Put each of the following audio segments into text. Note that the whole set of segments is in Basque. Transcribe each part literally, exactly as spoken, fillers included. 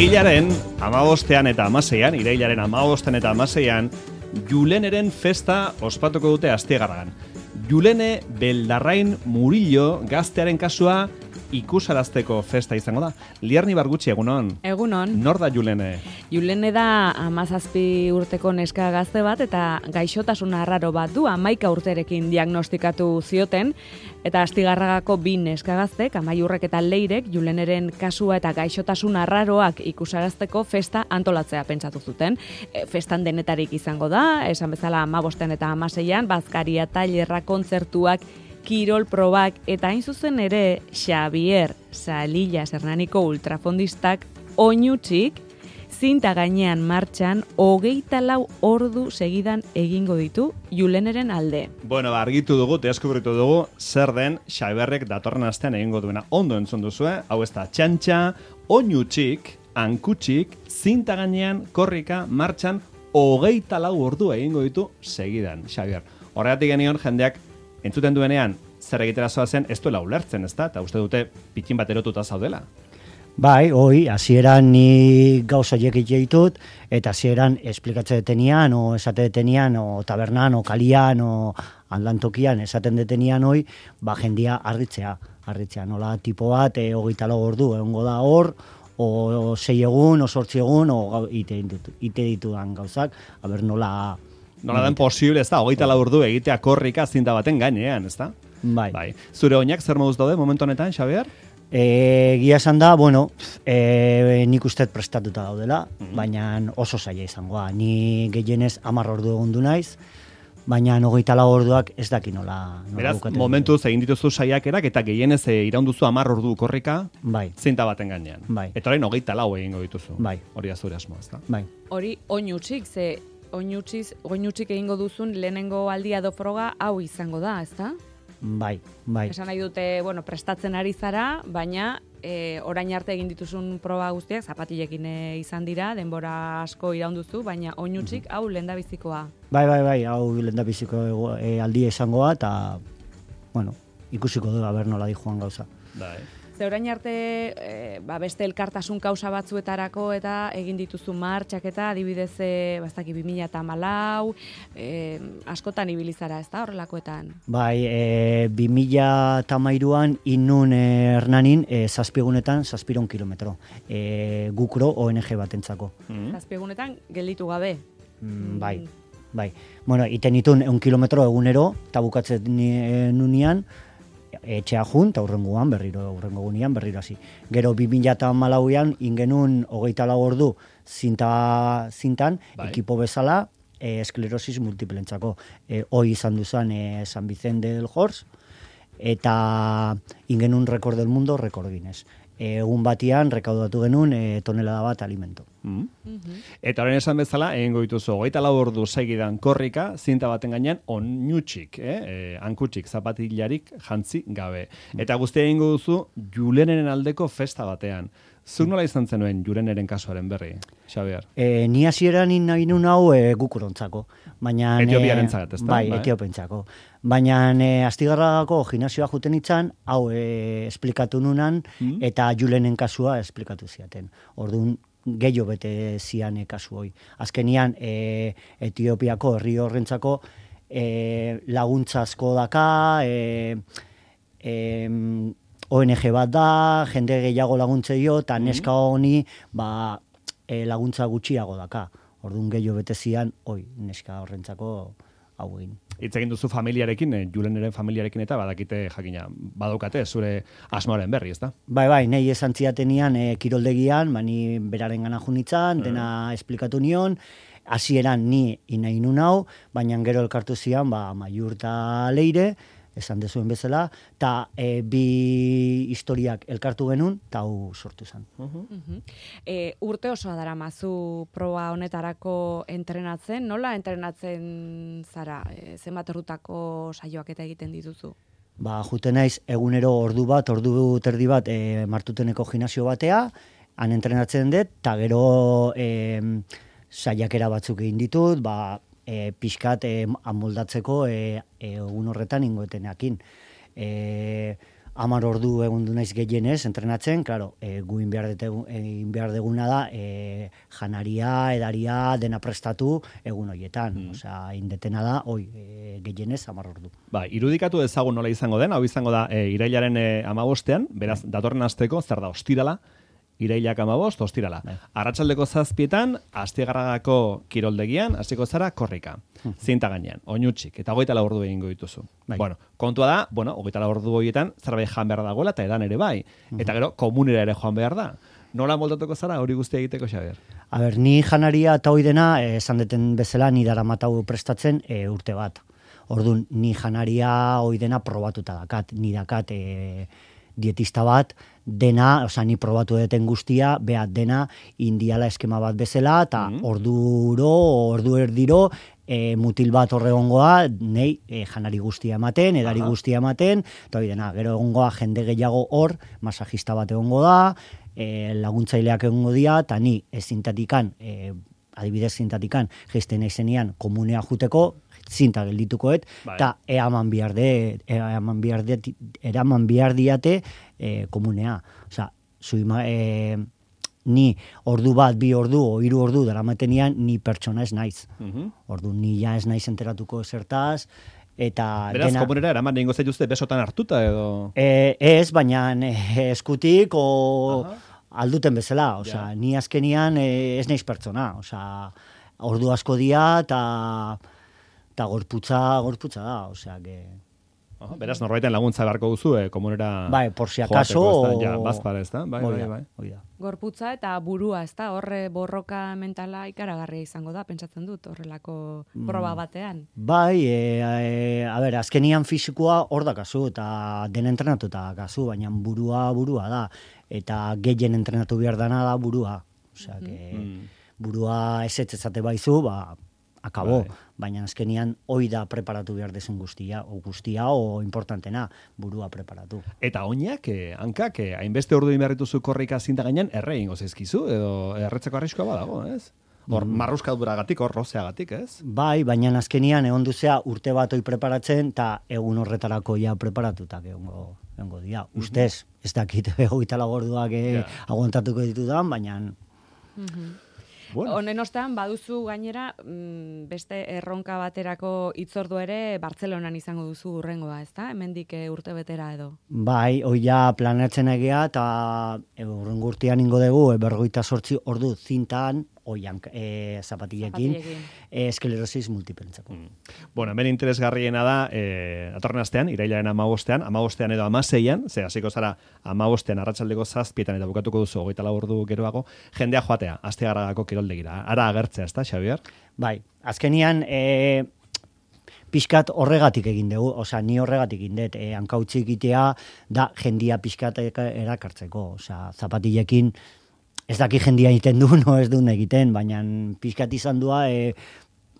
Hilaren amabostean eta amaseian, irailaren amabostean eta amaseian, Juleneren festa ospatuko dute Astigarragan. Julene Beldarrain Murillo gaztearen kasua ikusarazteko festa izango da. Liarni Bargutxi, egunon? Egunon. Nor da Julene? Julene da hamazazpi urteko neska gazte bat eta gaixotasun arraro bat du, hamaika urterekin diagnostikatu zioten, eta Astigarragako bi neska gaztek, Amaiurrek eta Leirek, Juleneren kasua eta gaixotasun arraroak ikusarazteko festa antolatzea pentsatu zuten. E, festan denetarik izango da, esan bezala hamabostean eta hamaseian, bazkaria, tailerra, kontzertuak, kirol probak eta hain zuzen ere Xavier Salilla Hernaniko ultrafondistak oinutzik zinta gainean martxan hogeita lau ordu segidan egingo ditu Juleneren alde. Bueno, argitu dugu, deskubritu dugu, zer den Xabierrek datorren astean egingo duena. Ondo entzun duzue, hau ez da txantxa, oinutzik, hankutzik, zinta gainean korrika martxan hogeita lau ordu egingo ditu segidan, Xavier. Horregatik genion jendeak entzuten duenean, zer egitera zoazen, ez duela ulertzen, ez da? Eta uste dute pitin bat erotuta zaudela. Bai, hoi, hasieran ni gauza jekit ditut, eta hasieran esplikatzen detenian, o esate detenian, o tabernan, o kalian, o aldantokian, esaten detenian hoi, ba jendia arritzea, arritzea, nola tipo bat, e, hogeita lau ordu, egongo da hor, o sei egun, o sortzi egun, o ite, ite ditudan gauzak, aber nola... Nola den posible, ez da, hogeita lau ordu egitea korrika zinta baten gainean, ez da? Bai. Bai. Zure oinak zer moduz daude momentu honetan, Xavier? E, Gia esan da, bueno, e, nik usteet prestatuta daudela, mm-hmm. baina oso zaila izangoa. Ni gehienez hamar ordu egondu naiz, baina hogeita lau orduak ez daki nola. nola Beraz, bukaten momentuz egin dituzu saiakerak eta gehienez e, iraunduzu hamar ordu korrika bai. zinta baten gainean. Bai. Eta orain hogeita lau egingo dituzu. Bai. Hori azure asmoa, ez da? Bai. Hori oinutzik, ze oinutziz, oinutzik egingo duzun lehenengo aldia do froga hau izango da, ezta? Bai, bai. Esan nahi dute, bueno, prestatzen ari zara, baina e, orain arte egin dituzun proba guztiak zapatilekin e, izan dira, denbora asko iraunduzu, baina oinutzik hau lehendabizikoa. Bai, bai, bai, hau lehendabiziko e, aldia izangoa, eta, bueno, ikusiko du, aber nola di joan gauza. Bai. Ze orain arte e, ba beste elkartasun kausa batzuetarako eta egin dituzu martxak eta adibidez e, bastaki bi mila hamalau, e, askotan ibili zara, ez da, horrelakoetan? Bai, e, bi mila hamairuan inun e, Hernanin e, zazpiegunetan zazpiron kilometro. E, Gukro O N G batentzako. Mm-hmm. Zazpiegunetan gelditu gabe. Mm, bai, bai. Bueno, iten itun eun kilometro egunero, eta bukatzen e, nunian, etxea jun, eta urrengoan berriro, urrengo gunean berriro hasi. Gero bi mila hamalauan ingenun hogeita lau ordu zinta, zintan, bai. ekipo bezala, e, esklerosis multiplentzako. E, hoi izan duzan e, San Vicente del Hors, eta ingenun rekord del mundo, rekord Guinness. Egun batian rekaudatu genuen e, tonelada bat alimento. Mm. Mm-hmm. Eta horren esan bezala, egingo dituzu hogeita lau ordu segidan korrika, zinta baten gainean oinutzik, eh? e, hankutzik, zapatilarik jantzi gabe. Eta guztia egingo duzu Juleneren aldeko festa batean. Zuk nola izan zenuen Juleneren kasuaren berri, Xavier? E, ni hasieran nahi nun hau e, gukurontzako. Baina, Etiopiarentzat, ez da? Bai, bai. Etiopentzako. Baina e, Astigarragako gimnasioa juten itzan, hau e, esplikatu nunan, mm? eta Julenen kasua esplikatu ziaten. Orduan, gehiago bete zian e, kasu hoi. Azkenian, e, Etiopiako herri horrentzako e, laguntza asko daka, e, e, O N G bat da, jende gehiago laguntze dio, eta neska honi ba, e, laguntza gutxiago daka. Orduan gehiago bete zian, oi, neska horrentzako hau egin. Hitz egin duzu familiarekin, eh, Juleneren familiarekin eta badakite jakina, badaukate zure asmoaren berri, ez da? Bai, bai, nahi esan ziatenian e, kiroldegian, bani beraren gana junitzan, dena esplikatu nion, hasieran ni inahi nun hau, baina gero elkartu zian, ba, Maiur eta Leire, esan dezuen bezala, eta e, bi historiak elkartu genuen, eta hau sortu zen. Uh-huh. Uh-huh. E, urte osoa dara mazu proba honetarako entrenatzen, nola entrenatzen zara? E, zenbat orrutako saioak eta egiten dituzu? Ba, jute naiz egunero ordu bat, ordu terdi bat e, Martuteneko gimnasio batea, han entrenatzen dut, eta gero e, saiakera batzuk egin ditut, ba, E, pixkat e, amoldatzeko e, e, egun horretan ingoeteneakin. E, hamar ordu egun du naiz gehienez entrenatzen, claro, e, gu egin behar, egin behar deguna da e, janaria, edaria, dena prestatu egun horietan. Mm. Osea, indetena da, oi, e, gehienez hamar ordu. Ba, irudikatu ezagun nola izango den, hau izango da e, irailaren e, amabostean, beraz, datorren asteko, zer da, ostirala, irailak amabost, ostirala. Bai. Arratsaldeko zazpietan, Astigarragako kiroldegian, hasiko zara korrika. Zinta gainean, oinutxik, eta hogeita lau ordu egingo dituzu. Bai. Bueno, kontua da, bueno, hogeita lau ordu horietan, zerbait jan behar dagoela, eta edan ere bai. Eta gero, komunera ere joan behar da. Nola moldatuko zara, hori guztia egiteko, Xabier? A ber, ni janaria eta hoi dena, esan deten bezala, ni daramatau prestatzen e, urte bat. Orduan, ni janaria hoi dena probatuta dakat, ni dakat e, dietista bat, dena, osea, ni probatu deten guztia, behat dena, indiala eskema bat bezala, eta mm. orduro, ordu erdiro, e, mutil bat horre egongoa, nei e, janari guztia ematen, edari Aha. guztia ematen, eta hori dena, gero egongoa jende gehiago hor, masajista bat egongo da, e, laguntzaileak egongo dira, eta ni ez zintatikan, e, adibidez zintatikan, geisten naizenian komunea juteko, zinta gelditukoet, eta eaman bihar de, eaman bihar de, eraman bihar diate e, komunea. Osea, zuima, e, ni ordu bat, bi ordu, o hiru ordu daramatenian, ni pertsona ez naiz. Uh-huh. Ordu, ni ja ez naiz enteratuko zertaz, eta... Beraz, dena, komunera eraman egingo zaituzte besotan hartuta edo... E, ez, baina e, eskutik, o... Aha. Alduten bezala, osea, ja. Ni azkenian e, ez naiz pertsona, osea, ordu asko dia, eta... eta gorputza, gorputza da, osea, que... Aha, beraz, norbaiten laguntza beharko duzu, eh, komunera... Bai, por si acaso... Ja, bazpara, ez da? Bai, bai, bai. Oida. Gorputza eta burua, ez da? Horre borroka mentala ikaragarria izango da, pentsatzen dut, horrelako proba batean. Bai, e, e, a ber, azkenian fisikoa hor da kasu, eta den entrenatuta kasu, baina burua burua da, eta gehien entrenatu behar dana da burua. Osea, que mm. burua esetzezate baizu, ba... akabo, bai. Baina azkenian hoi da preparatu behar dezen guztia, o guztia, o importantena, burua preparatu. Eta oinak, eh, hankak, eh, hainbeste ordu inberrituzu korrika zinta gainean, erre ingo zaizkizu, edo erretzeko arriskoa badago, ez? Hor, mm. marruskaduragatik, hor, rozeagatik, ez? Bai, baina azkenian egon duzea urte bat hoi preparatzen, eta egun horretarako ja preparatutak egongo, egongo dia. Mm-hmm. Ustez, ez dakit hogeita lau orduak eh, yeah. aguantatuko ditudan, baina... Mm-hmm. Bueno. Honen ostean, baduzu gainera, beste erronka baterako hitzordu ere Bartzelonan izango duzu urrengoa, ezta? Hemendik urte betera edo. Bai, hoi ja planeatzen egia, eta urrengo urtean ingo dugu, berrogeita zortzi ordu zintan, oian e, zapatillekin, e, esklerosis multiplentzako. Mm. Bueno, hemen interesgarriena da, e, atorren astean, irailaren amabostean, amabostean edo amaseian, ze hasiko zara amabostean arratsaldeko zazpietan eta bukatuko duzu hogeita lau ordu geroago, jendea joatea, Astigarragako kiroldegira. Ara agertzea, ezta, Xabier? Bai, azkenian, e, pixkat horregatik egin dugu, osea, ni horregatik egin dut, e, hankautzi egitea da jendia pixkat erakartzeko, osea, zapatillekin, ez daki jendia egiten du, no ez duen egiten, baina pixkat izan dua e,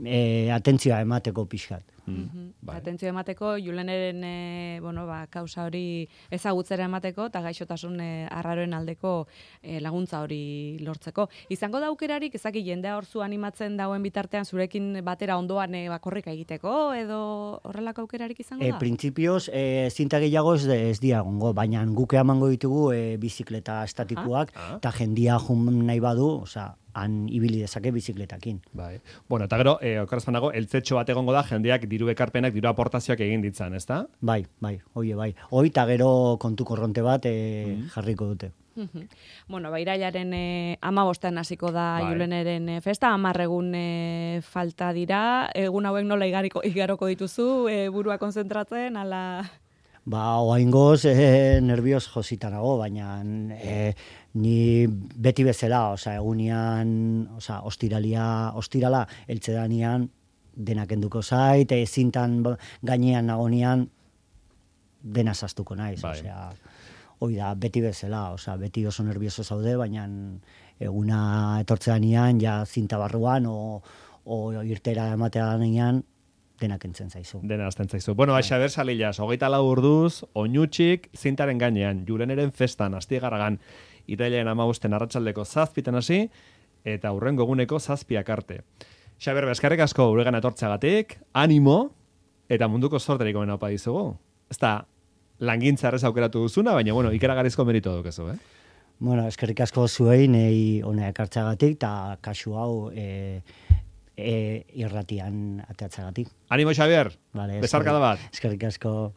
e, atentzioa emateko pixkat. Mm. Bai. Atentzio emateko, Juleneren e, bueno, ba, kausa hori ezagutzera emateko, eta gaixotasun e, arraroen aldeko e, laguntza hori lortzeko. Izango da aukerarik, ezaki jendea hor zu animatzen dauen bitartean, zurekin batera ondoan e, bakorrika egiteko, edo horrelako aukerarik izango da? E, Printzipioz, e, zinta gehiago ez, ez diagongo, baina guke emango ditugu e, bizikleta estatikoak, eta ah? jendia jun nahi badu, osea, han ibili dezake bizikletakin. Bai. Bueno, eta gero, eh, okarazpanago, eltzetxo bat egongo da, jendeak diru ekarpenak, diru aportazioak egin ditzan, ezta? Bai, bai, oie, bai. Hoi, eta gero kontu korronte bat eh, mm. jarriko dute. Mm-hmm. Bueno, ba, irailaren eh, amabostean hasiko da bai. Juleneren eh, festa, amarregun eh, falta dira, egun hauek nola igariko, igaroko dituzu, eh, burua konzentratzen, ala... Ba, oaingoz, eh, nervios jositanago, baina eh, ni beti bezala, osea, egunean, osea, ostiralia, ostirala, eltsedanian, denak enduko zait, e, zintan gainean nagonian, dena zaztuko naiz, bai. Osea, hoi da, beti bezala, osea, beti oso nervioso zaude, baina eguna etortzeanian, ja zinta barruan, o, o irtera ematea danean, denak entzen zaizu. Dena azten zaizu. Bueno, Xabier Salillas, hogeita lau urduz, oinutxik, zintaren gainean, Juleneren festan, Astigarragan, irailaren amabosten arratsaldeko zazpitan hasi, eta hurrengo eguneko zazpiak arte. Xabier, eskerrik asko uregan etortzeagatik, animo, eta munduko sorterik omen haupa dizugu. Ez da, langintza errez aukeratu duzuna, baina, bueno, ikeragarrizko merito dukezu, eh? Bueno, eskerrik asko zuei, nei hona ekartzagatik, eta kasu hau e, e, irratian ateatzagatik. Animo, Xabier! Vale, Besarkada bat! Eskerrik asko.